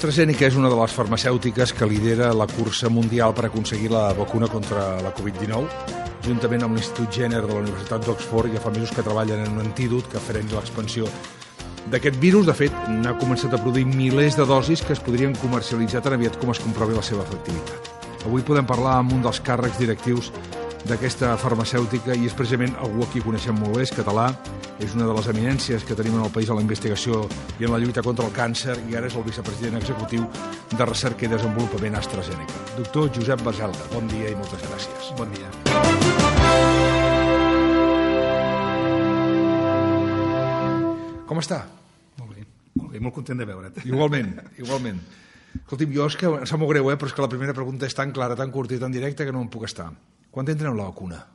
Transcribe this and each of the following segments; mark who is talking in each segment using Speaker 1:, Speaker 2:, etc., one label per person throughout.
Speaker 1: AstraZeneca és una de les farmacèutiques que lidera la cursa mundial per aconseguir la vacuna contra la Covid-19. Juntament amb l'Institut Jenner de la Universitat d'Oxford, ja fa mesos que treballen en un antídot que freni l'expansió d'aquest virus. De fet, n'ha començat a produir milers de dosis que es podrien comercialitzar tan aviat com es comprovi la seva efectivitat. Avui podem parlar amb un dels càrrecs directius d'aquesta farmacèutica i és precisament algú a qui coneixem molt bé, és català, és una de les eminències que tenim en el país en la investigació i en la lluita contra el càncer i ara és el vicepresident executiu de Recerca i Desenvolupament AstraZeneca. Doctor Josep Baselga, bon dia i moltes gràcies.
Speaker 2: Bon dia.
Speaker 1: Com està?
Speaker 2: Molt bé, molt content de veure't.
Speaker 1: Igualment. Escolti'm, jo és que em sap molt greu, però és que la primera pregunta és tan clara, tan curta i tan directa que no em puc estar. Quan tindrem la vacuna?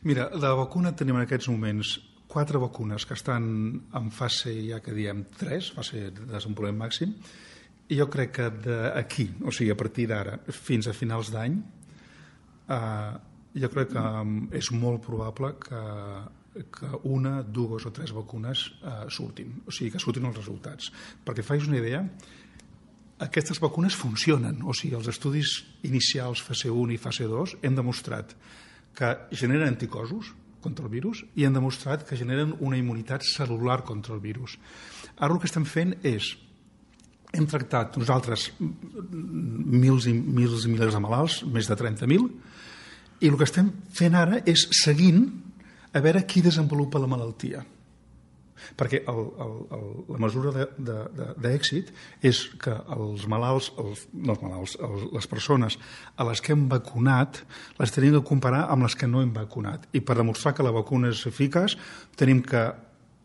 Speaker 2: Mira, la vacuna tenim en aquests moments 4 vacunes que estan en fase, ja que diem 3, fase de desenvolupament màxim, i jo crec que d'aquí, o sigui, a partir d'ara, fins a finals d'any, jo crec que és molt probable que 1, 2 o 3 vacunes surtin, o sigui, que surtin els resultats. Perquè facis una idea, aquestes vacunes funcionen, o sigui, els estudis inicials fase 1 i fase 2 hem demostrat que generen anticossos contra el virus i han demostrat que generen una immunitat cel·lular contra el virus. Ara el que estem fent és, hem tractat nosaltres milers i milers de malalts, més de 30.000, i el que estem fent ara és seguint a veure qui desenvolupa la malaltia. Perquè la mesura d'èxit és que les persones a les que hem vacunat les tenim que comparar amb les que no hem vacunat. I per demostrar que la vacuna és eficaç tenim que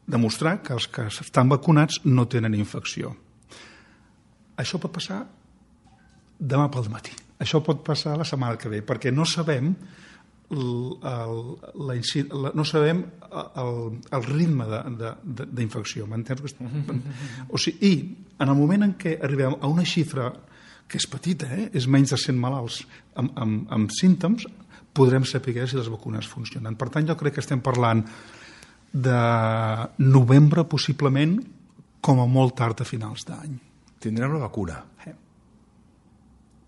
Speaker 2: demostrar que els que estan vacunats no tenen infecció. Això pot passar demà pel matí. Això pot passar la setmana que ve, perquè no sabem no sabem el ritme d'infecció. O sigui, i en el moment en què arribem a una xifra que és petita, és menys de 100 malalts amb símptoms, podrem saber si les vacunes funcionen. Per tant, jo crec que estem parlant de novembre, possiblement, com a molt tard a finals d'any.
Speaker 1: Tindrem la vacuna.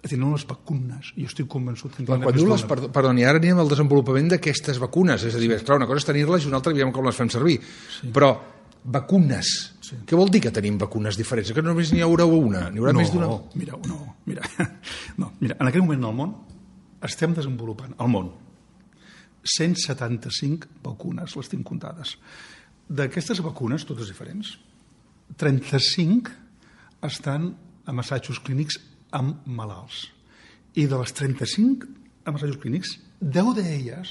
Speaker 2: Tindrem les vacunes. Jo estic convençut que
Speaker 1: quan diu perdoni, ara anirem al desenvolupament d'aquestes vacunes, és a dir, clar, una cosa és tenir-les i una altra veiem com les fem servir, però vacunes, què vol dir que tenim vacunes diferents? Que només n'hi haurà una? N'hi haurà més d'una?
Speaker 2: Mira, en aquell moment al món estem desenvolupant, al món, 175 vacunes, les tinc comptades. D'aquestes vacunes, totes diferents, 35 estan en assajos clínics amb malalts. I de les 35 assajos clínics, 10 d'elles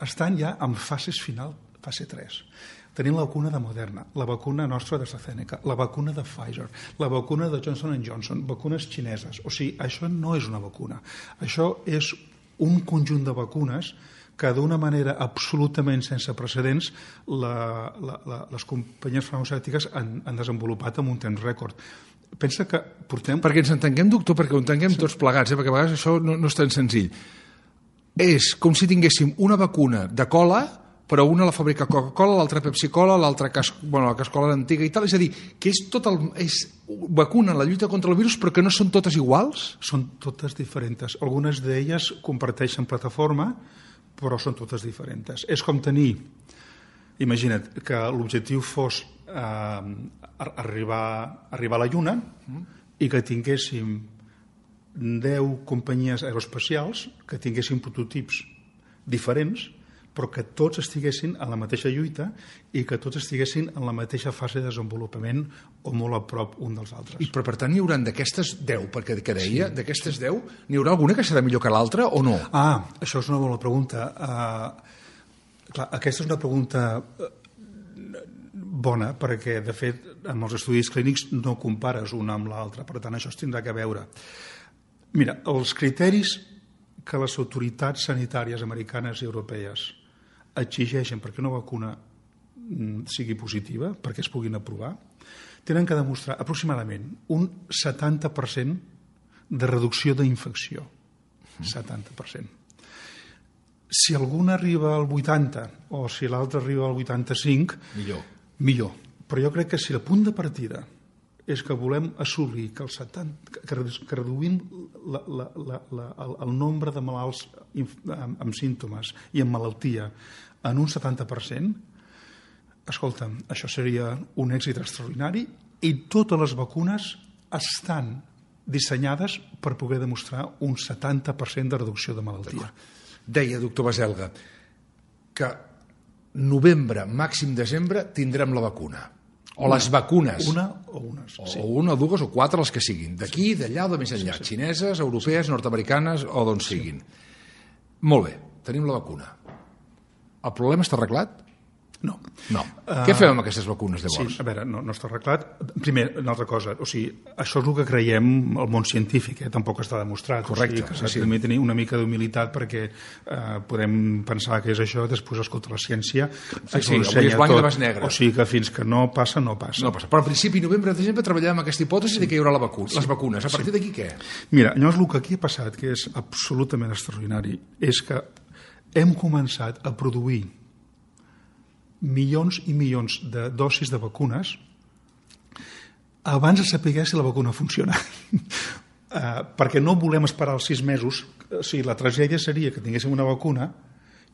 Speaker 2: estan ja en fases final, fase 3. Tenim la vacuna de Moderna, la vacuna nostra d'AstraZeneca, la vacuna de Pfizer, la vacuna de Johnson & Johnson, vacunes xineses. O sigui, això no és una vacuna. Això és un conjunt de vacunes que d'una manera absolutament sense precedents les companyies farmacèutiques han desenvolupat en un temps rècord. Pensa que portem...
Speaker 1: Perquè ens entenguem, doctor, perquè ho entenguem tots plegats, perquè a vegades això no és tan senzill. És com si tinguéssim una vacuna de cola, però una la fabrica Coca-Cola, l'altra Pepsi-Cola, l'altra la Cascola antiga i tal. És a dir, que és vacuna en la lluita contra el virus, però que no són totes iguals?
Speaker 2: Són totes diferents. Algunes d'elles comparteixen plataforma, però són totes diferents. És com tenir... Imagina't que l'objectiu fos arribar a la Lluna i que tinguéssim 10 companyies aeroespacials que tinguessin prototips diferents, però que tots estiguessin en la mateixa lluita i que tots estiguessin en la mateixa fase de desenvolupament o molt a prop un dels altres.
Speaker 1: Però per tant n'hi haurà d'aquestes 10, perquè que deia, d'aquestes 10, n'hi haurà alguna que serà millor que l'altra o no?
Speaker 2: Això és una bona pregunta. Clar, aquesta és una pregunta bona, perquè, de fet, en els estudis clínics no compares una amb l'altra, per tant, això es tindrà que veure. Mira, els criteris que les autoritats sanitàries americanes i europees exigeixen perquè una vacuna sigui positiva, perquè es puguin aprovar, tenen que demostrar aproximadament un 70% de reducció d'infecció. 70%. Si algun arriba al 80 o si l'altre arriba al 85, millor. Però jo crec que si el punt de partida és que volem assolir que reduïm el nombre de malalts amb símptomes i amb malaltia en un 70%, escolta'm, això seria un èxit extraordinari i totes les vacunes estan dissenyades per poder demostrar un 70% de reducció de malaltia.
Speaker 1: Deia, doctor Baselga, que novembre, màxim desembre, tindrem la vacuna. O les vacunes.
Speaker 2: Una o unes.
Speaker 1: O una, dues o quatre, les que siguin. D'aquí, d'allà o de més enllà. Xineses, europees, nord-americanes o d'on siguin. Molt bé, tenim la vacuna. El problema està arreglat?
Speaker 2: No.
Speaker 1: Què fem amb aquestes vacunes, llavors?
Speaker 2: Sí, a veure, no està arreglat. Primer, una altra cosa, o sigui, això és el que creiem el món científic, tampoc està demostrat.
Speaker 1: Correcte.
Speaker 2: O sigui, que també tenir una mica d'humilitat perquè podem pensar que és això, després escolta la ciència.
Speaker 1: Sí, avui és blanc i demà és negre.
Speaker 2: O sigui que fins que no passa, no passa.
Speaker 1: No passa. Però al principi, novembre, desembre, treballem amb aquesta hipòtesi de que hi haurà les vacunes. A partir d'aquí, què?
Speaker 2: Mira, llavors el que aquí ha passat, que és absolutament extraordinari, és que hem començat a produir milions i milions de dosis de vacunes abans de saber si la vacuna funciona. Perquè no volem esperar els 6 mesos. O sigui, la tragèdia seria que tinguéssim una vacuna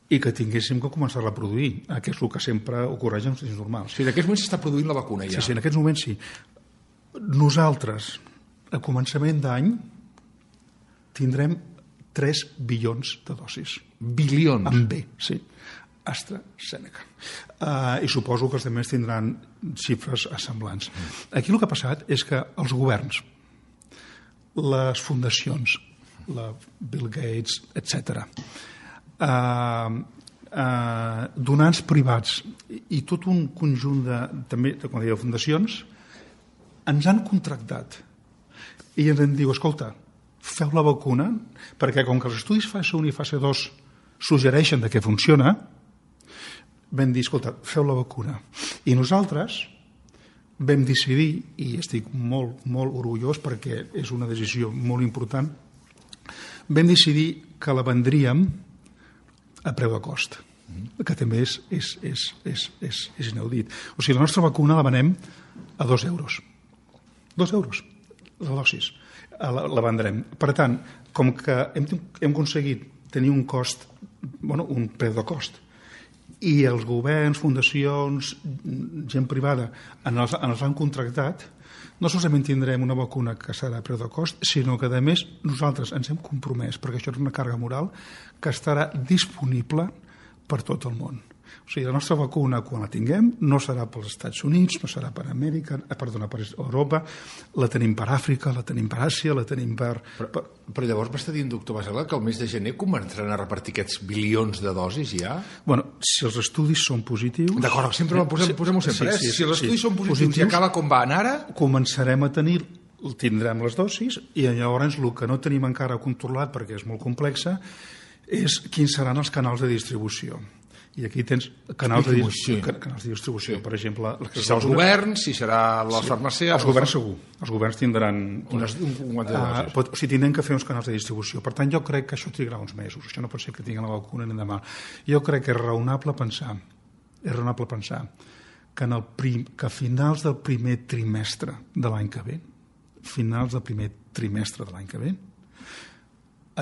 Speaker 2: i que tinguéssim que començar-la a produir, que és el que sempre ocorreix en els temps normals.
Speaker 1: Sí, en aquests moments s'està produint la vacuna ja.
Speaker 2: Sí, en aquests moments sí. Nosaltres, a començament d'any, tindrem 3 bilions de dosis.
Speaker 1: Bilions?
Speaker 2: Amb B, sí. AstraZeneca. I suposo que els altres tindran xifres semblants. Aquí el que ha passat és que els governs, les fundacions, la Bill Gates, etc., donants privats i tot un conjunt també, com deia, fundacions, ens han contractat i ens diu, escolta, feu la vacuna, perquè com que els estudis fase 1 i fase 2 suggereixen que funciona, vam dir, escolta, feu la vacuna. I nosaltres vam decidir, i estic molt, molt orgullós perquè és una decisió molt important, vam decidir que la vendríem a preu de cost, que també és inaudit. O sigui, la nostra vacuna la venem a 2 euros. 2 euros, la dosis. La vendrem. Per tant, com que hem aconseguit tenir un cost, un preu de cost, i els governs, fundacions, gent privada ens han contractat, no solament tindrem una vacuna que serà a preu de cost, sinó que, a més, nosaltres ens hem compromès, perquè això és una càrrega moral, que estarà disponible per tot el món. O sigui, la nostra vacuna, quan la tinguem, no serà pels Estats Units, no serà per Amèrica, per Europa, la tenim per Àfrica, la tenim per Àsia, la tenim per...
Speaker 1: Però llavors m'està dient, doctor Baselga, que el mes de gener començaran a repartir aquests bilions de dosis ja?
Speaker 2: Bueno, si els estudis són positius...
Speaker 1: D'acord, sempre posem-ho sempre. Si els estudis són positius i acaba com van ara...
Speaker 2: Començarem a tindrem les dosis i llavors el que no tenim encara controlat, perquè és molt complexa, és quins seran els canals de distribució. I aquí tens canals de distribució. Per exemple...
Speaker 1: Si serà els governs, si serà les farmàcies...
Speaker 2: Els governs segur. Els governs tindran...
Speaker 1: O
Speaker 2: sigui, tindran que fer uns canals de distribució. Per tant, jo crec que això trigarà uns mesos. Això no pot ser que tinguin la vacuna ni demà. Jo crec que és raonable pensar que a finals del primer trimestre de l'any que ve,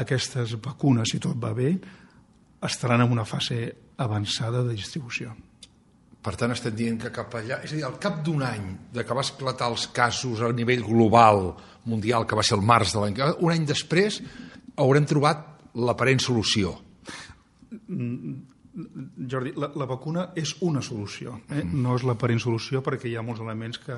Speaker 2: aquestes vacunes, si tot va bé, estaran en una fase avançada de distribució.
Speaker 1: Per tant, estem dient que cap allà... És a dir, al cap d'un any de que va esclatar els casos a nivell global, mundial, que va ser el març de l'any... Un any després haurem trobat l'aparent solució.
Speaker 2: Jordi, la vacuna és una solució, no és l'aparent solució, perquè hi ha molts elements que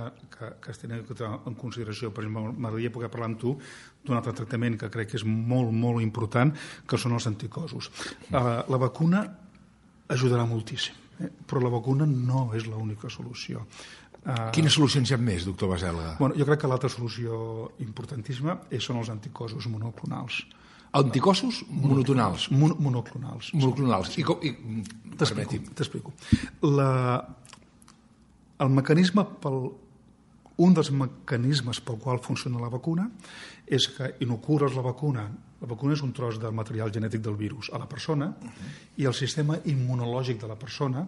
Speaker 2: es tenen en consideració. Per exemple, m'agradaria poder parlar amb tu d'un altre tractament que crec que és molt, molt important, que són els anticossos. La vacuna ajudarà moltíssim, però la vacuna no és l'única solució.
Speaker 1: Quines solucions hi ha més, doctor Baselga?
Speaker 2: Jo crec que l'altra solució importantíssima són els anticossos monoclonals.
Speaker 1: Anticossos monotonals?
Speaker 2: Monoclonals.
Speaker 1: Monoclonals. T'explico.
Speaker 2: Un dels mecanismes pel qual funciona la vacuna és que inocules la vacuna és un tros del material genètic del virus a la persona i el sistema immunològic de la persona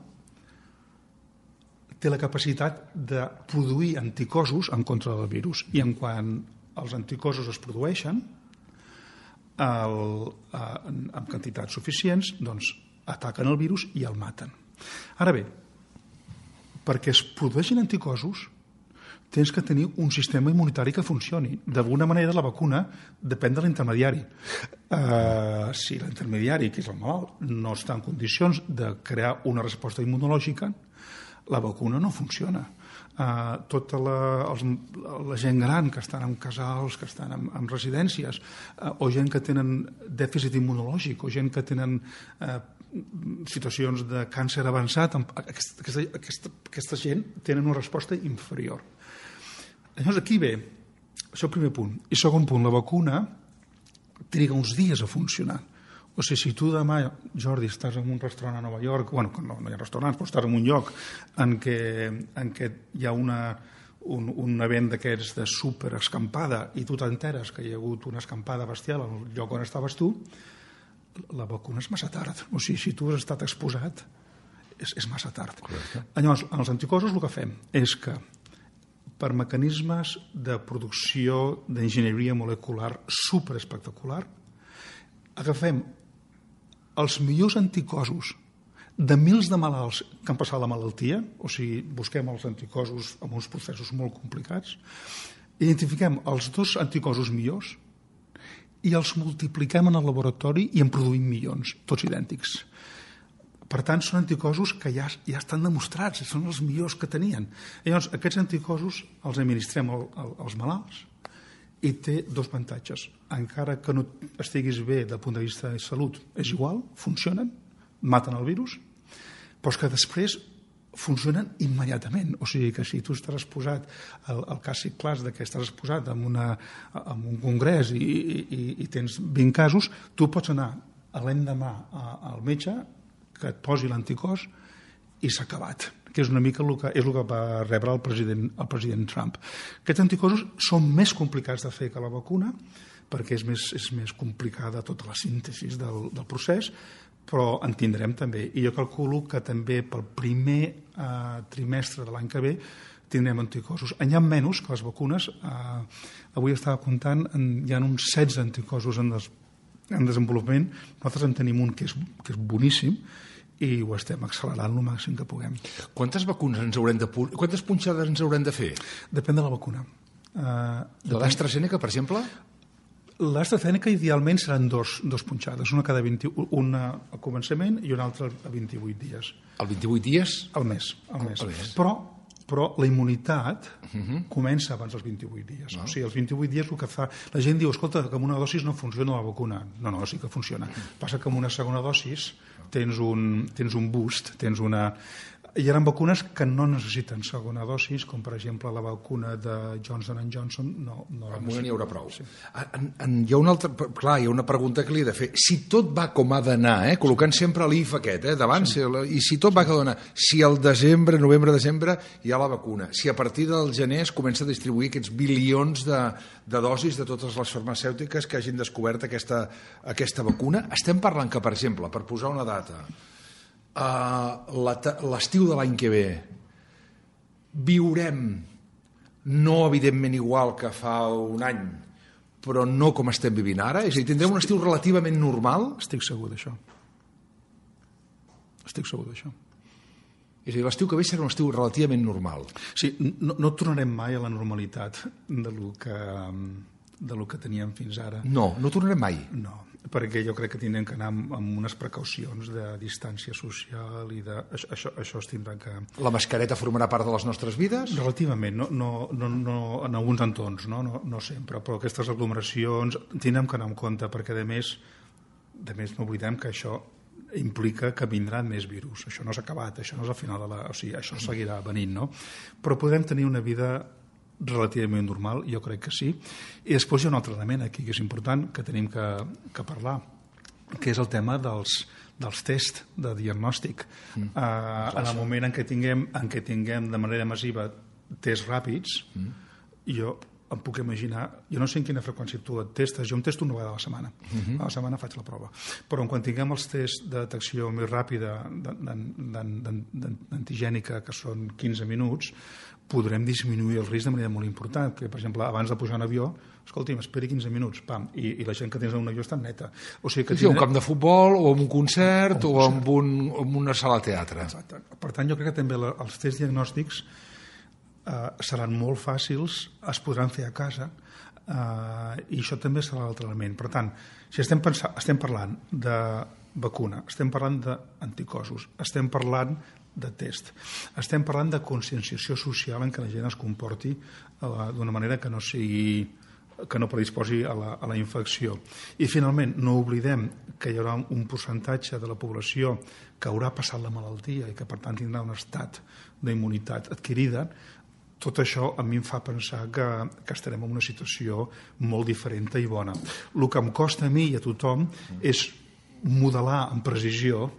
Speaker 2: té la capacitat de produir anticossos en contra del virus. I en quan els anticossos es produeixen en quantitats suficients, doncs ataquen el virus i el maten. Ara bé, perquè es produeixin anticossos tens que tenir un sistema immunitari que funcioni. D'alguna manera la vacuna depèn de l'intermediari. Si l'intermediari, que és el malalt, no està en condicions de crear una resposta immunològica, la vacuna no funciona. Tota la gent gran que estan en casals, que estan en residències, o gent que tenen dèficit immunològic, o gent que tenen situacions de càncer avançat, aquesta gent tenen una resposta inferior. Llavors aquí ve, això és el primer punt. I segon punt, la vacuna triga uns dies a funcionar. O sigui, si tu demà, Jordi, estàs en un restaurant a Nova York, bueno, no hi ha restaurants, però estàs en un lloc en què hi ha un event d'aquests de superescampada i tu t'enteres que hi ha hagut una escampada bestial al lloc on estaves tu, la vacuna és massa tard. O sigui, si tu has estat exposat, és massa tard.
Speaker 1: Correcte.
Speaker 2: Llavors, en els anticossos el que fem és que per mecanismes de producció d'enginyeria molecular superespectacular, agafem els millors anticossos de mils de malalts que han passat la malaltia, o sigui, busquem els anticossos amb uns processos molt complicats, identifiquem els 2 anticossos millors i els multipliquem en el laboratori i en produïm milions, tots idèntics. Per tant, són anticossos que ja estan demostrats, són els millors que tenien. Llavors, aquests anticossos els administrem als malalts i té 2 avantatges. Encara que no estiguis bé del punt de vista de salut, és igual, funcionen, maten el virus, però és que després funcionen immediatament. O sigui que si tu estàs exposat al cas clas que estàs exposat en un congrés i tens 20 casos, tu pots anar l'endemà al metge que et posi l'anticòs i s'ha acabat, que és una mica el que va rebre el president Trump. Aquests anticossos són més complicats de fer que la vacuna, perquè és més complicada tota la síntesi del procés, però en tindrem també. I jo calculo que també pel primer trimestre de l'any que ve tindrem anticossos. N'hi ha menys que les vacunes. Avui estava comptant, hi ha uns 16 anticossos en desenvolupament. Nosaltres en tenim un que és boníssim i ho estem accelerant el màxim que puguem.
Speaker 1: Quantes vacunes quantes punxades ens haurem de fer?
Speaker 2: Depèn de la vacuna.
Speaker 1: De l'AstraZeneca, per exemple?
Speaker 2: L'AstraZeneca idealment seran dos punxades, una al començament i una altra a 28 dies.
Speaker 1: Al 28 dies?
Speaker 2: Al mes. Però la immunitat comença abans dels 28 dies. O sigui, els 28 dies el que fa... La gent diu, escolta, que amb una dosis no funciona la vacuna. No, sí que funciona. Passa que amb una segona dosis tens un boost, tens una... Hi ha vacunes que no necessiten segona dosis, com per exemple la vacuna de Johnson & Johnson. No
Speaker 1: amb una n'hi haurà prou. Sí. Hi ha una altra... Clar, hi ha una pregunta que li he de fer. Si tot va com ha d'anar, col·locant sempre l'IF aquest, davant, sí. I si tot va com ha d'anar, si al novembre-desembre hi ha la vacuna, si a partir del gener es comença a distribuir aquests bilions de dosis de totes les farmacèutiques que hagin descobert aquesta vacuna, estem parlant que, per exemple, per posar una data, l'estiu de l'any que ve viurem no evidentment igual que fa un any, però no com estem vivint ara? És a dir, tindrem un estiu relativament normal?
Speaker 2: Estic segur d'això. És
Speaker 1: a dir, l'estiu que ve serà un estiu relativament normal.
Speaker 2: Sí, no tornarem mai a la normalitat de lo que teníem fins ara.
Speaker 1: No tornarem mai?
Speaker 2: No, perquè jo crec que tindrem que anar amb unes precaucions de distància social i això es tindrà que...
Speaker 1: La mascareta formarà part de les nostres vides?
Speaker 2: Relativament, no en alguns entorns, no sempre, però aquestes aglomeracions tindrem que anar en compte, perquè a més no oblidem que això implica que vindran més virus. Això no s'ha acabat, això no és el final o sigui, això seguirà venint, no? Però podem tenir una vida relativament normal, jo crec que sí. I després hi ha un altre element aquí que és important, que tenim que parlar, que és el tema dels tests de diagnòstic. En el moment en què tinguem de manera massiva tests ràpids, jo em puc imaginar, jo no sé en quina freqüència tu et testes, jo em testo una vegada a la setmana, a la setmana faig la prova, però quan tinguem els tests de detecció més ràpida d'antigènica, que són 15 minuts, podrem disminuir el risc de manera molt important, que per exemple abans de pujar en avió, escolti'm, esperi 15 minuts, pam, i la gent que tens en un avió està neta. O sigui que
Speaker 1: un camp de futbol, o en un concert, o en una sala de teatre.
Speaker 2: Exacte. Per tant, jo crec que també els tests diagnòstics seran molt fàcils, es podran fer a casa, i això també serà l'altre element. Per tant, si estem parlant de vacuna, estem parlant d'anticossos, estem parlant de test, estem parlant de conscienciació social en què la gent es comporti d'una manera que no predisposi a la infecció. I finalment, no oblidem que hi haurà un percentatge de la població que haurà passat la malaltia i que per tant tindrà un estat d'immunitat adquirida. Tot això a mi em fa pensar que estarem en una situació molt diferent i bona. El que em costa a mi i a tothom és modelar amb precisió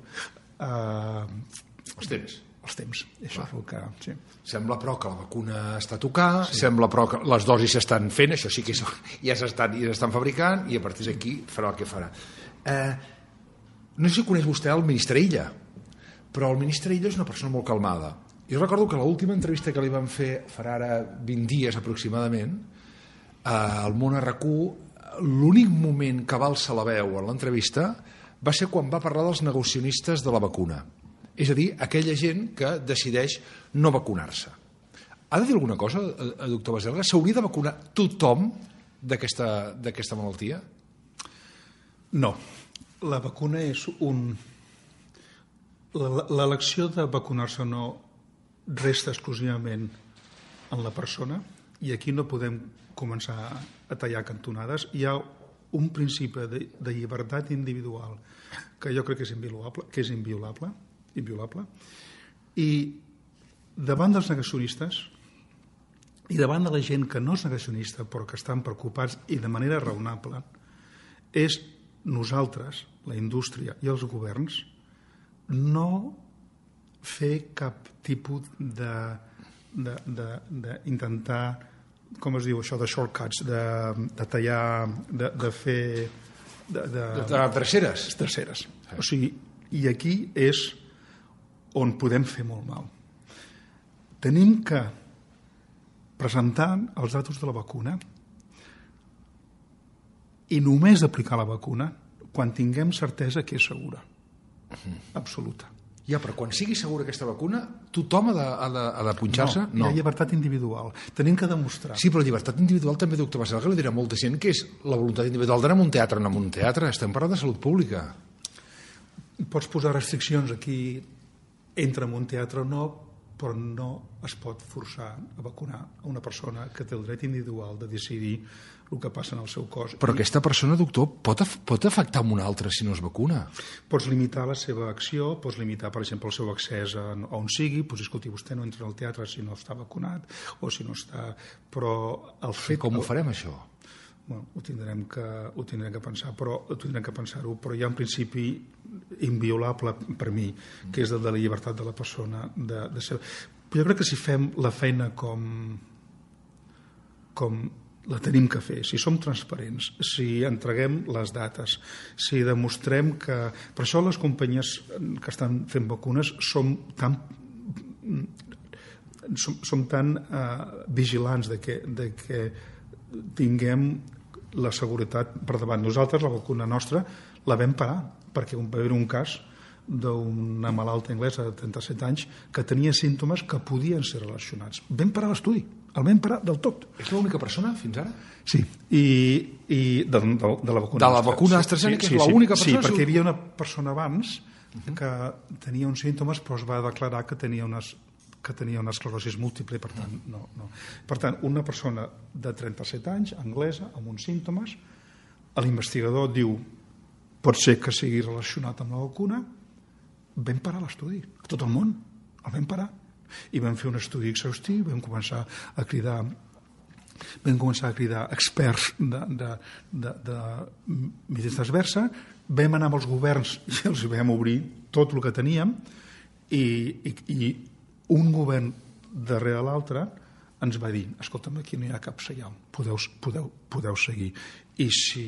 Speaker 1: els temps.
Speaker 2: Això és el que... Sí.
Speaker 1: Sembla, però, que la vacuna està a tocar, sembla, però, que les dosis s'estan fent, això sí que ja s'estan fabricant, i a partir d'aquí farà el que farà. No sé si coneix vostè el ministre Illa, però el ministre Illa és una persona molt calmada. Jo recordo que l'última entrevista que li van fer farà ara 20 dies aproximadament al Món RQ, l'únic moment que va alçar la veu en l'entrevista va ser quan va parlar dels negacionistes de la vacuna, és a dir, aquella gent que decideix no vacunar-se. Ha de dir alguna cosa, doctor Baselga? S'hauria de vacunar tothom d'aquesta malaltia?
Speaker 2: No. La vacuna és l'elecció de vacunar-se o no resta exclusivament en la persona, i aquí no podem començar a tallar cantonades. Hi ha un principi de llibertat individual que jo crec que és inviolable, i davant dels negacionistes i davant de la gent que no és negacionista però que estan preocupats i de manera raonable, és nosaltres, la indústria i els governs, no fer cap tipus d'intentar, com es diu això, de shortcuts, de tallar, de fer...
Speaker 1: De terceres.
Speaker 2: O sigui, i aquí és on podem fer molt mal. Tenim que presentar els datos de la vacuna i només aplicar la vacuna quan tinguem certesa que és segura. Absoluta.
Speaker 1: Ja, però quan sigui segura aquesta vacuna, tothom ha de punxar-se?
Speaker 2: No, hi ha llibertat individual. Tenim que demostrar.
Speaker 1: Sí, però llibertat individual també, doctor Baselga, li dirà molta gent que és la voluntat individual d'anar a un teatre, no a un teatre. Estem parlant de salut pública.
Speaker 2: Pots posar restriccions aquí, entra en un teatre o no, però no es pot forçar a vacunar a una persona que té el dret individual de decidir el que passa en el seu cos.
Speaker 1: Però aquesta persona, doctor, pot afectar una altra si no es vacuna?
Speaker 2: Pots limitar la seva acció, pots limitar, per exemple, el seu accés a on sigui, pots dir, escolti, vostè no entra al teatre si no està vacunat, o si no està... Però el fet...
Speaker 1: Com ho farem, això?
Speaker 2: Bueno, ho tindrem que pensar-ho, però hi ha un principi inviolable per mi, que és el de la llibertat de la persona de ser. Però jo crec que si fem la feina com la tenim que fer, si som transparents, si entreguem les dates, si demostrem que... Per això les companyies que estan fent vacunes som tan vigilants de que tinguem la seguretat per davant. Nosaltres, la vacuna nostra, la vam parar, perquè va haver un cas d'una malalta anglesa de 37 anys que tenia símptomes que podien ser relacionats. Vam parar l'estudi, el vam parar del tot.
Speaker 1: És l'única persona fins ara?
Speaker 2: Sí, i de la vacuna.
Speaker 1: De la vacuna AstraZeneca és l'única persona?
Speaker 2: Sí, perquè hi havia una persona abans que tenia uns símptomes però es va declarar que tenia una esclerosi múltiple, per tant, no. Per tant, una persona de 37 anys, anglesa, amb uns símptomes, l'investigador diu pot ser que sigui relacionat amb la vacuna, vam parar l'estudi, a tot el món, el vam parar. I vam fer un estudi exhaustiu, vam començar a cridar experts de medicina transversa, vam anar amb els governs i els vam obrir tot el que teníem i un govern darrere l'altre ens va dir, escolta'm, aquí no hi ha cap senyal, podeu seguir. I si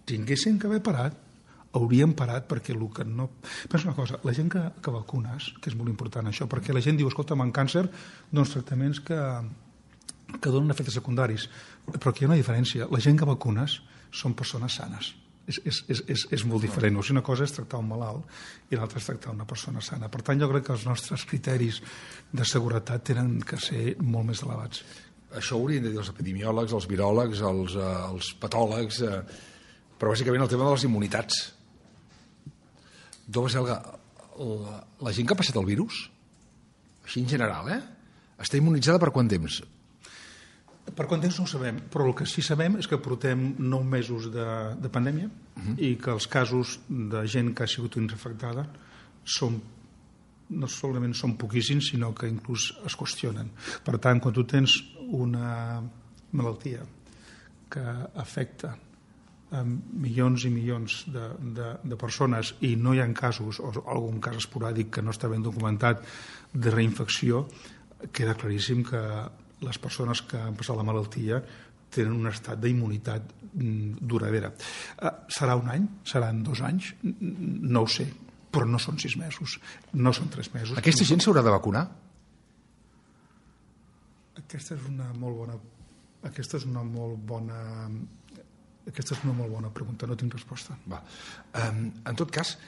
Speaker 2: tinguessin que haver parat, hauríem parat, perquè el que no... Pensa una cosa, la gent que vacunes, que és molt important això, perquè la gent diu, escolta'm, en càncer, doncs tractaments que donen efectes secundaris, però aquí hi ha una diferència. La gent que vacunes són persones sanes. És molt diferent. O sigui, una cosa és tractar un malalt i l'altra és tractar una persona sana. Per tant, jo crec que els nostres criteris de seguretat tenen que ser molt més elevats.
Speaker 1: Això ho haurien de dir els epidemiòlegs, els viròlegs, els patòlegs, però bàsicament el tema de les immunitats. Dova Selga, la gent que ha passat el virus, així en general, està immunitzada per quant temps?
Speaker 2: Per quant temps no ho sabem, però el que sí sabem és que portem 9 mesos de pandèmia i que els casos de gent que ha sigut infectada no solament són poquíssims, sinó que inclús es qüestionen. Per tant, quan tu tens una malaltia que afecta a milions i milions de persones i no hi ha casos, o algun cas esporàdic que no està ben documentat, de reinfecció, queda claríssim que les persones que han passat la malaltia tenen un estat d'immunitat duradera. Serà un any? Seran 2 anys? No ho sé, però no són 6 mesos, no són 3 mesos.
Speaker 1: Aquesta gent s'haurà de vacunar?
Speaker 2: Aquesta és una molt bona pregunta, no tinc resposta.
Speaker 1: En tot cas,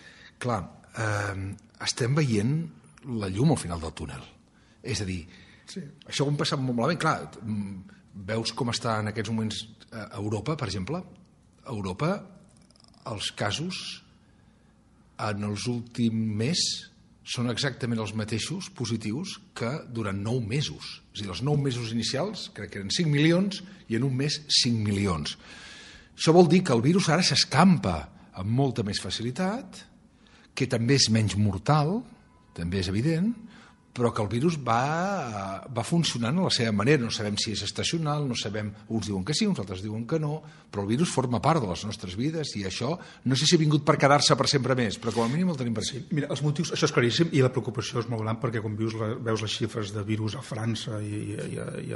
Speaker 1: clar, estem veient la llum al final del túnel. És a dir, sí. Això ho hem passat molt malament. Clar, veus com està en aquests moments Europa, per exemple. A Europa, els casos en els últims mes són exactament els mateixos positius que durant 9 mesos. És a dir, els 9 mesos inicials, crec que eren 5 milions, i en un mes 5 milions. Això vol dir que el virus ara s'escampa amb molta més facilitat, que també és menys mortal, també és evident, però que el virus va funcionant a la seva manera. No sabem si és estacional, no sabem, uns diuen que sí, uns altres diuen que no, però el virus forma part de les nostres vides i això no sé si ha vingut per quedar-se per sempre més, però com a mínim el tenim per aquí.
Speaker 2: Sí, mira, els motius, això és claríssim i la preocupació és molt gran perquè quan veus les xifres de virus a França i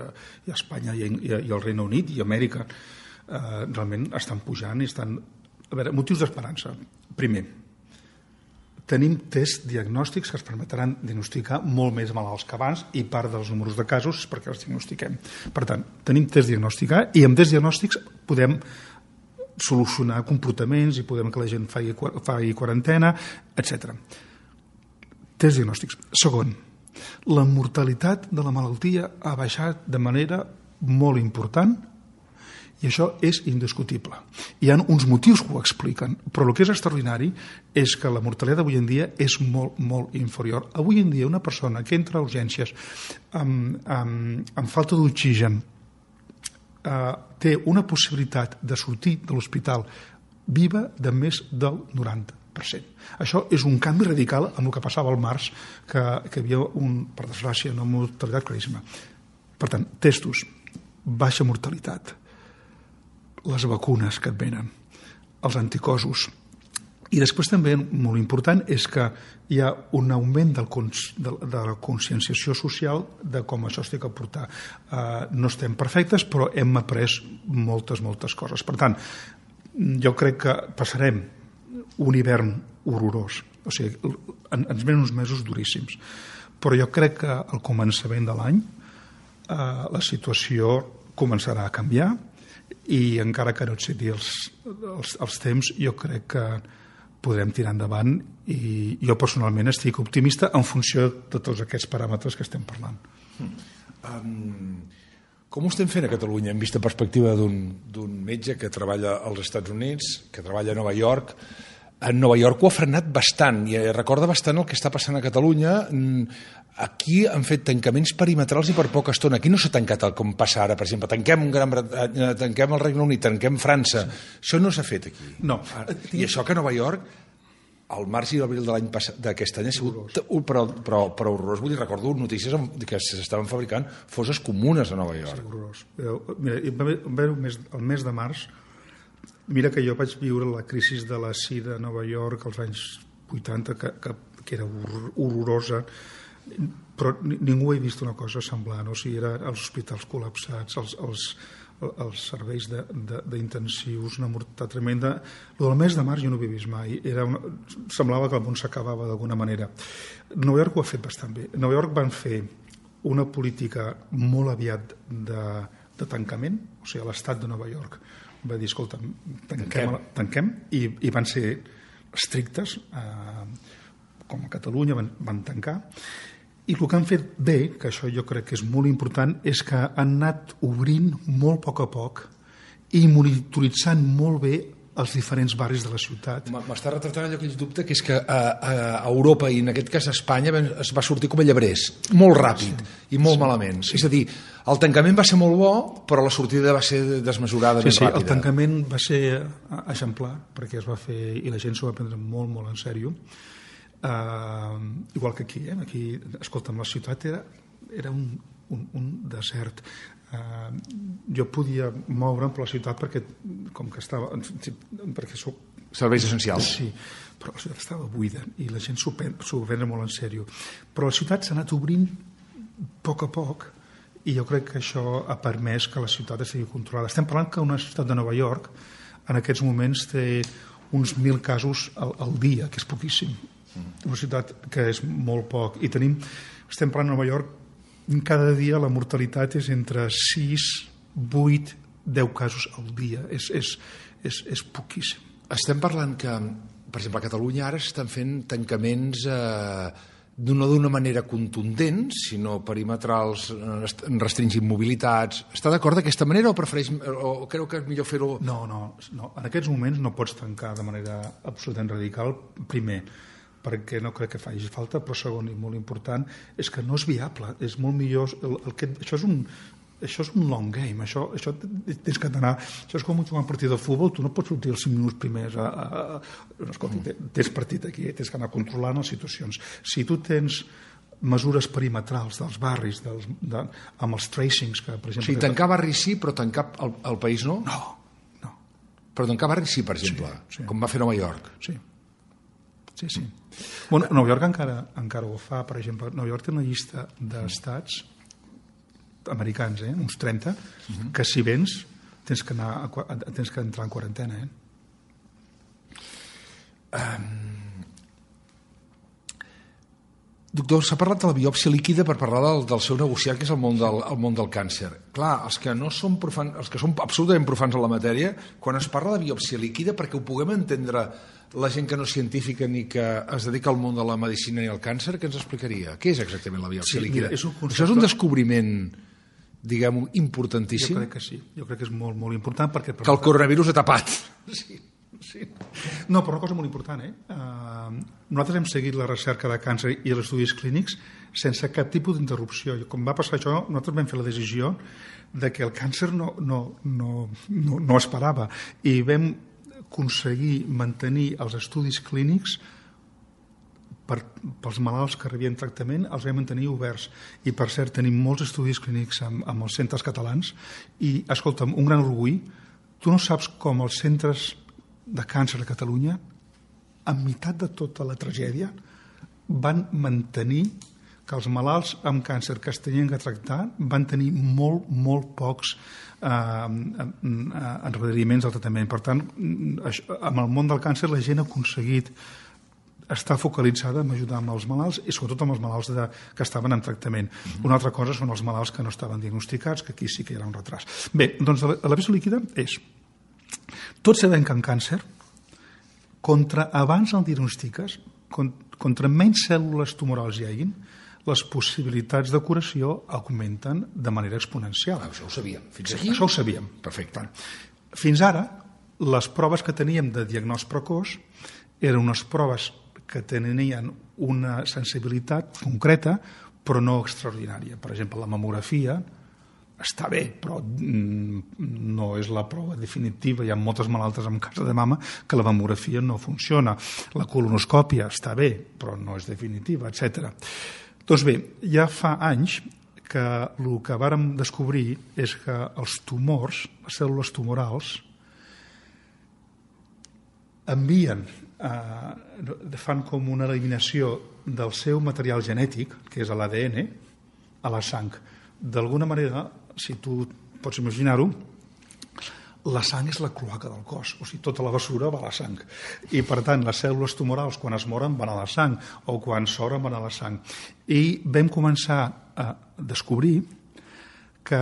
Speaker 2: a Espanya i al Regne Unit i a Amèrica, realment estan pujant i estan... A veure, motius d'esperança. Primer, tenim tests diagnòstics que ens permetran diagnosticar molt més malalts que abans i part dels números de casos és perquè els diagnostiquem. Per tant, tenim tests diagnòstics i amb tests diagnòstics podem solucionar comportaments i podem que la gent faci quarantena, etc. Tests diagnòstics. Segon, la mortalitat de la malaltia ha baixat de manera molt important i això és indiscutible. Hi ha uns motius que ho expliquen, però el que és extraordinari és que la mortalitat avui en dia és molt, molt inferior. Avui en dia una persona que entra a urgències amb falta d'oxigen té una possibilitat de sortir de l'hospital viva de més del 90%. Això és un canvi radical amb el que passava al març, que hi havia, per desgràcia, una mortalitat claríssima. Per tant, testos, baixa mortalitat, les vacunes que et venen, els anticossos. I després també, molt important, és que hi ha un augment de la conscienciació social de com això es té que portar. No estem perfectes, però hem après moltes coses. Per tant, jo crec que passarem un hivern horrorós. O sigui, ens venen uns mesos duríssims. Però jo crec que al començament de l'any la situació començarà a canviar i encara que no et citi els temps, jo crec que podrem tirar endavant i jo personalment estic optimista en funció de tots aquests paràmetres que estem parlant.
Speaker 1: Com ho estem fent a Catalunya en vista perspectiva d'un metge que treballa als Estats Units, que treballa a Nova York? En Nova York ho ha frenat bastant i recorda bastant el que està passant a Catalunya. Aquí han fet tancaments perimetrals i per poca estona. Aquí no s'ha tancat com passa ara, per exemple. Tanquem el Regne Unit, tanquem França. Això no s'ha fet aquí.
Speaker 2: No.
Speaker 1: I això que a Nova York, al març i l'abril de l'any passat, d'aquest any, ha sigut però horrorós. Vull dir, recordo notícies que s'estaven fabricant fosses comunes a Nova York.
Speaker 2: Sí, horrorós. Mira, el mes de març, mira que jo vaig viure la crisi de la sida a Nova York als anys 80, que era horrorosa. Però ningú ha vist una cosa semblant, o sigui, eren els hospitals col·lapsats, els serveis d'intensius, una mortalitat tremenda. El del mes de març jo no ho havia vist mai, semblava que el món s'acabava d'alguna manera. Nova York ho ha fet bastant bé. Nova York van fer una política molt aviat de tancament, o sigui, l'estat de Nova York va dir, escolta, tanquem, i van ser estrictes, com a Catalunya van tancar, i el que han fet bé, que això jo crec que és molt important, és que han anat obrint molt a poc i monitoritzant molt bé els diferents barris de la ciutat.
Speaker 1: M'està retratant allò que ell dubta, que és que a Europa, i en aquest cas a Espanya, es va sortir com a llebrers, molt ràpid i molt malament. És a dir, el tancament va ser molt bo, però la sortida va ser desmesurada, ben ràpida.
Speaker 2: El tancament va ser exemplar, perquè es va fer, i la gent s'ho va prendre molt, molt en sèrio. Igual que aquí, aquí, escolta'm, la ciutat era un desert. Jo podia moure'm per la ciutat perquè soc...
Speaker 1: Serveis essencials.
Speaker 2: Sí, però la ciutat estava buida i la gent s'ho prendre molt en sèrio. Però la ciutat s'ha anat obrint a poc i jo crec que això ha permès que la ciutat estigui controlada. Estem parlant que una ciutat de Nova York en aquests moments té uns 1.000 casos al dia, que és poquíssim. Una ciutat que és molt poc. I estem parlant de Nova York, cada dia la mortalitat és entre 6, 8, 10 casos al dia. És poquíssim.
Speaker 1: Estem parlant que, per exemple, a Catalunya ara estan fent tancaments no d'una manera contundent, sinó perimetrals, restringint mobilitats. Està d'acord d'aquesta manera o prefereix, o creu que és millor fer-ho?
Speaker 2: No. En aquests moments no pots tancar de manera absolutament radical. Primer, perquè no crec que faci falta, però segon i molt important és que no és viable, és molt millor això és un long game, això tens que anar, això és com jugar un partit de futbol, tu no pots sortir els 5 minuts primers escolta, tens partit aquí, tens que anar controlant les situacions. Si tu tens mesures perimetrals dels barris amb els tracings que, per exemple...
Speaker 1: O sigui, tancar barris sí, però tancar el país no?
Speaker 2: No.
Speaker 1: Però tancar barris sí, per exemple, sí. Com va fer Nova York.
Speaker 2: Sí. Bueno, Nova York encara ho fa. Per exemple, Nova York té una llista d'estats americans, uns 30, que si vens tens que entrar en quarantena.
Speaker 1: Doctor, s'ha parlat de la biòpsia líquida per parlar del seu negociat, que és el món del càncer. Clar, els que no són profans, els que són absolutament profans en la matèria, quan es parla de biòpsia líquida, perquè ho puguem entendre la gent que no és científica ni que es dedica al món de la medicina i al càncer, què ens explicaria? Què és exactament la biòpsia líquida? Això és un descobriment, diguem-ho, importantíssim?
Speaker 2: Jo crec que sí, jo crec que és molt, molt important.
Speaker 1: Que el coronavirus ha tapat.
Speaker 2: Sí. No, però una cosa molt important, nosaltres hem seguit la recerca de càncer i els estudis clínics sense cap tipus d'interrupció. Com va passar això, nosaltres vam fer la decisió de que el càncer no esperava i vam aconseguir mantenir els estudis clínics pels malalts que rebien tractament, els vam mantenir oberts. I, per cert, tenim molts estudis clínics amb els centres catalans i, escolta'm, un gran orgull, tu no saps com els centres de càncer a Catalunya, en meitat de tota la tragèdia, van mantenir que els malalts amb càncer que es tenien que tractar van tenir molt pocs endarreriments del tractament. Per tant, amb el món del càncer la gent ha aconseguit estar focalitzada en ajudar amb els malalts i sobretot amb els malalts que estaven en tractament. Una altra cosa són els malalts que no estaven diagnosticats, que aquí sí que hi ha un retras. Bé, doncs la biòpsia líquida és... Tots sabem que en càncer, abans el diagnostiques, contra menys cèl·lules tumorals hi hagin, les possibilitats de curació augmenten de manera exponencial.
Speaker 1: Això ho sabíem. Fins aquí?
Speaker 2: Això ho sabíem.
Speaker 1: Perfecte.
Speaker 2: Fins ara, les proves que teníem de diagnòstic precoç eren unes proves que tenien una sensibilitat concreta, però no extraordinària. Per exemple, la mamografia està bé, però no és la prova definitiva. Hi ha moltes malaltes amb càncer de mama que la mamografia no funciona. La colonoscòpia està bé, però no és definitiva, etc. Doncs bé, ja fa anys que el que vàrem descobrir és que els tumors, les cèl·lules tumorals, envien, fan com una eliminació del seu material genètic, que és l'ADN, a la sang. D'alguna manera, si tu pots imaginar-ho, la sang és la cloaca del cos, o sigui, tota la bessura va a la sang. I, per tant, les cèl·lules tumorals, quan es moren, van a la sang, o quan s'obren, van a la sang. I vam començar a descobrir que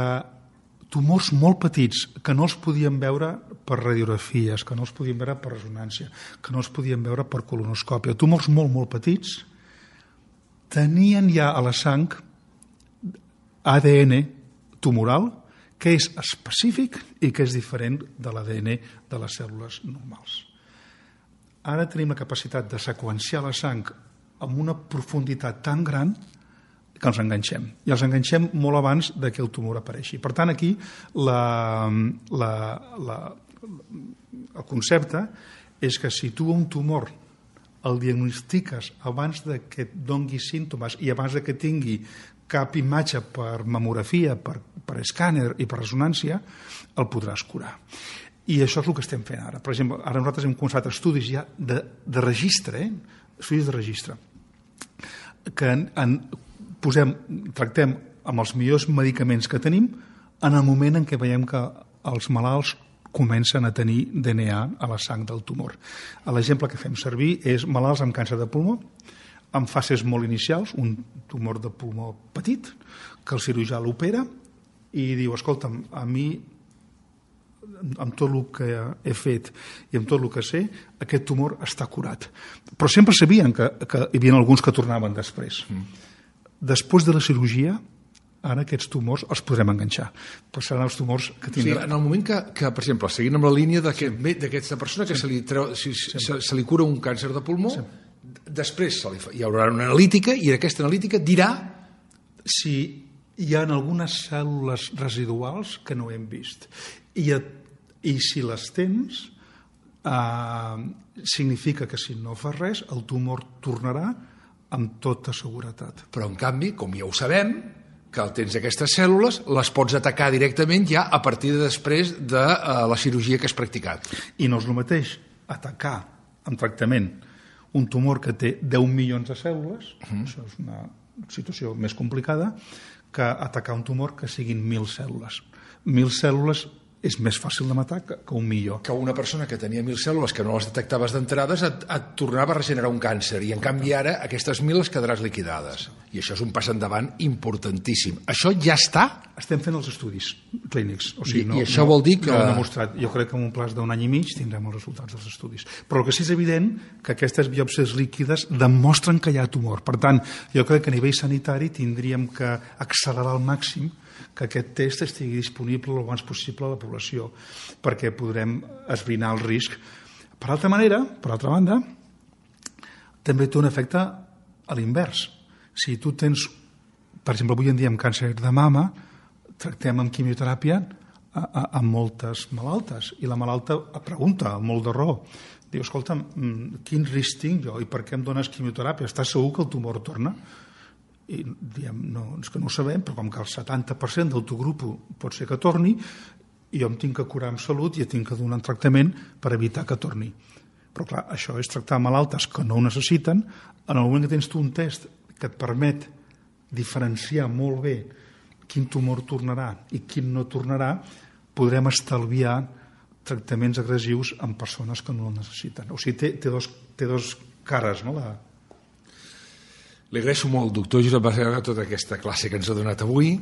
Speaker 2: tumors molt petits, que no els podíem veure per radiografies, que no els podíem veure per resonància, que no els podíem veure per colonoscòpia, tumors molt, molt petits, tenien ja a la sang ADN tumoral, que és específic i que és diferent de l'ADN de les cèl·lules normals. Ara tenim la capacitat de seqüenciar la sang amb una profunditat tan gran que els enganxem. I els enganxem molt abans de que el tumor apareixi. Per tant, aquí el concepte és que si tu un tumor el diagnostiques abans de que et doni símptomes i abans de que tingui cap imatge per mamografia, per escàner i per resonància, el podràs curar. I això és el que estem fent ara. Per exemple, ara nosaltres hem començat estudis ja de registre, estudis de registre, que tractem amb els millors medicaments que tenim en el moment en què veiem que els malalts comencen a tenir DNA a la sang del tumor. L'exemple que fem servir és malalts amb càncer de pulmó, en fases molt inicials, un tumor de pulmó petit, que el cirurgià l'opera i diu, escolta'm, a mi, amb tot el que he fet i amb tot el que sé, aquest tumor està curat. Però sempre sabien que hi havia alguns que tornaven després. Després de la cirurgia, ara aquests tumors els podrem enganxar. Però seran els tumors que tindran...
Speaker 1: Sí, en el moment que, per exemple, seguint amb la línia d'aquesta persona que se li cura un càncer de pulmó, després hi haurà una analítica i aquesta analítica dirà
Speaker 2: si hi ha algunes cèl·lules residuals que no hem vist. I si les tens, significa que si no fas res, el tumor tornarà amb tota seguretat.
Speaker 1: Però, en canvi, com ja ho sabem, que tens aquestes cèl·lules, les pots atacar directament ja a partir de després de la cirurgia que has practicat.
Speaker 2: I no és el mateix atacar amb tractament un tumor que té 10 milions de cèl·lules, això és una situació més complicada, que atacar un tumor que siguin 1.000 cèl·lules. 1.000 cèl·lules és més fàcil de matar que 1.000.000.
Speaker 1: Que una persona que tenia 1.000 cèl·lules que no les detectaves d'entrades et tornava a regenerar un càncer i en canvi ara aquestes 1.000 les quedaràs liquidades. I això és un pas endavant importantíssim. Això ja està?
Speaker 2: Estem fent els estudis clínics. O sigui,
Speaker 1: I això vol dir que...
Speaker 2: No ho hem demostrat. Jo crec que en un plaç d'un any i mig tindrem els resultats dels estudis. Però el que sí és evident que aquestes biòpsies líquides demostren que hi ha tumor. Per tant, jo crec que a nivell sanitari tindríem que accelerar al màxim que aquest test estigui disponible el abans possible a la població, perquè podrem esbrinar el risc. Per altra banda, també té un efecte a l'invers. Si tu tens, per exemple, avui en dia amb càncer de mama, tractem amb quimioteràpia a moltes malaltes, i la malalta pregunta, molt de raó, diu, escolta, quin risc tinc jo i per què em dones quimioteràpia? Estàs segur que el tumor torna? I diem, no, és que no ho sabem, però com que el 70% del teu grup pot ser que torni, jo em tinc que curar amb salut i tinc que donar un tractament per evitar que torni. Però clar, això és tractar malaltes que no ho necessiten. En el moment que tens tu un test que et permet diferenciar molt bé quin tumor tornarà i quin no tornarà, podrem estalviar tractaments agressius en persones que no el necessiten. O sigui, té dos cares, no?
Speaker 1: Li agraeixo molt, doctor Josep Basega, tota aquesta classe que ens ha donat avui.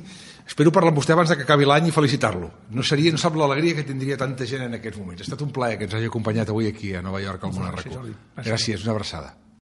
Speaker 1: Espero parlar amb vostè abans que acabi l'any i felicitar-lo. No sap l'alegria que tindria tanta gent en aquests moments. Ha estat un plaer que ens hagi acompanyat avui aquí a Nova York, al Món Arracó. Gràcies, una abraçada.